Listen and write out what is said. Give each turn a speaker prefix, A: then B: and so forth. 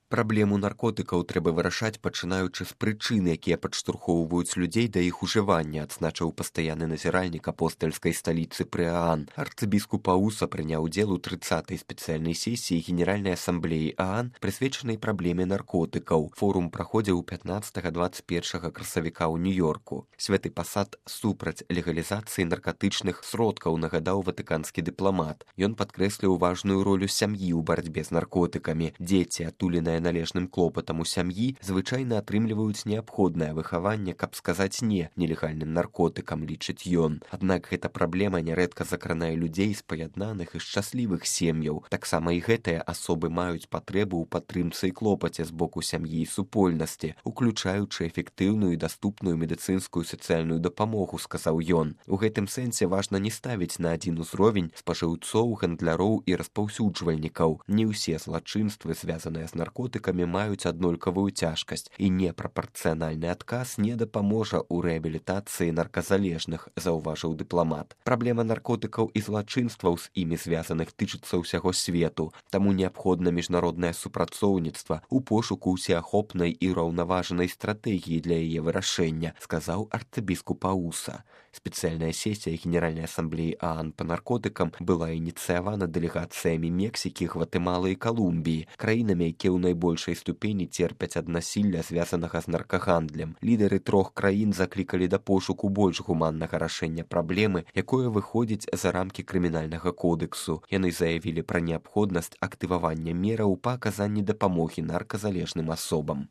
A: Праблему наркотыкаў трэба вырашаць, пачынаючы з прычын, якія падштурхоўваюць людзей да іх ужывання, адзначыў пастаянны назіральнік апостальскай сталіцы пры ААН. Арцыбіскуп Ауса прыняў удзел у 30-й спецыяльнай сесіі Генеральнай асамблеі ААН, прысвечанай праблеме наркотыкаў. Форум праходзіў 15-21 красавіка ў Нью-Йорку. Святы пасад супраць легалізацыі наркатычных сродкаў, нагадаў ватыканскі дыпламат. Ён падкрэсліў важную ролю сям'і ў барацьбе з наркотыкамі. Дзеці, атуленыя належным клопатам у сям'і, звычайна атрымліваюць неабходнае выхаванне, каб сказаць не нелегальным наркотыкам, лічыць ён. Аднак гэта праблема нярэдка закранае людзей з паяднаных і шчаслівых сем'яў. Таксама і гэтыя асобы маюць патрэбу ў падтрымцы і клопаце з боку сям'і і супольнасці, уключаючы эфектыўную і даступную медыцынскую сацыяльную дапамогу, сказаў ён. У гэтым сэнсе важна не ставіць на адзін узровень спажыўцоў, гандляроў і распаўсюджвальнікаў. Не ўсе злачынствы, звязаныя з наркотыкамі, маюць аднолькавую цяжкасць, і непрапарцыянальны адказ не дапаможа ў рэабілітацыі нарказалежных, заўважыў дыпламат. Праблема наркотыкаў і злачынстваў з імі звязаных тычыцца ўсяго свету, таму неабходна міжнароднае супрацоўніцтва ў пошуку ўсеахопнай і ўраўнаважанай стратэгіі для яе вырашэння, сказаў арцыбіскуп Ауса. Спецыяльная сесія Генеральнай асамблеі ААН па наркотыкам была ініцыявана дэлегацыямі Мексікі, Гватэмалы і Калумбіі, краінамі, якія ў найбольшай ступені церпяць ад насілля, звязанага з наркагандлем. Лідары трох краін заклікалі да пошуку больш гуманнага рашэння праблемы, якое выходзіць за рамкі крымінальнага кодэксу. Яны заявілі пра неабходнасць актывавання мераў па аказанні дапамогі нарказалежным асобам.